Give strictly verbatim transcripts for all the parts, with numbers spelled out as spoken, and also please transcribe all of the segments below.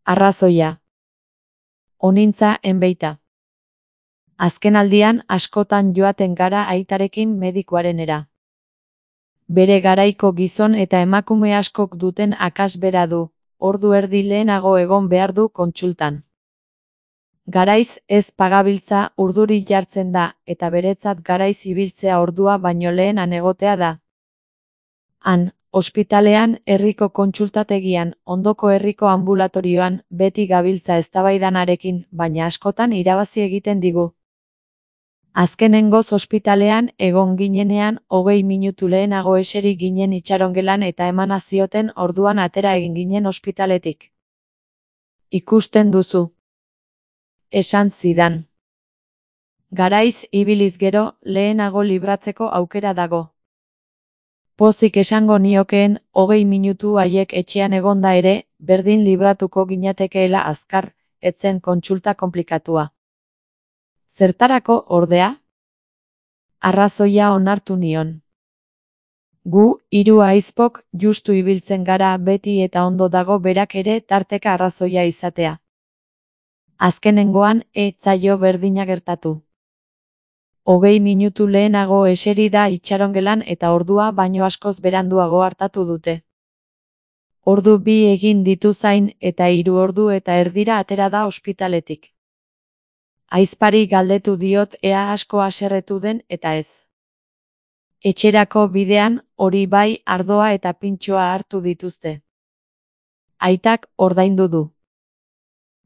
Arrazoia. Onintza enbeita. Azken aldian askotan joaten gara aitarekin medikuarenera. Bere garaiko gizon eta emakume askok duten akas bera du, ordu erdi lehenago egon behar du kontsultan. Garaiz ez pagabiltza urduri jartzen da, eta beretzat garaiz ibiltzea ordua baino lehenan egotea da. Han, ospitalean, herriko kontsultategian, ondoko herriko ambulatorioan, beti gabiltza eztabaidanarekin, baina askotan irabazi egiten digu. Azkenengoz ospitalean egon ginenean, hogei minutu lehenago eseri ginen itxarongelan eta emana zioten orduan atera egin ginen ospitaletik. Ikusten duzu. Esan zidan. Garaiz ibiliz gero, lehenago libratzeko aukera dago. Pozik esango niokeen, hogei minutu haiek etxean egonda ere, berdin libratuko ginatekeela azkar, etzen kontsulta konplikatua. Zertarako, ordea? Arrazoia onartu nion. Gu, hiru ahizpok, justu ibiltzen gara beti eta ondo dago berak ere tarteka arrazoia izatea. Azkenengoan, ez zaio berdina gertatu. Hogei minutu lehenago eseri da itxarongelan eta ordua baino askoz beranduago hartatu dute. Ordu bi egin ditu zain eta hiru ordu eta erdira atera da ospitaletik. Ahizpari galdetu diot ea asko haserretu den eta ez. Etxerako bidean, hori bai, ardoa eta pintxoa hartu dituzte. Aitak ordaindu du.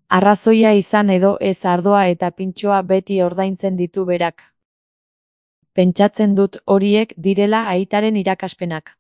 Arrazoia izan edo ez ardoa eta pintxoa beti ordaintzen ditu berak. Pentsatzen dut horiek direla aitaren irakaspenak.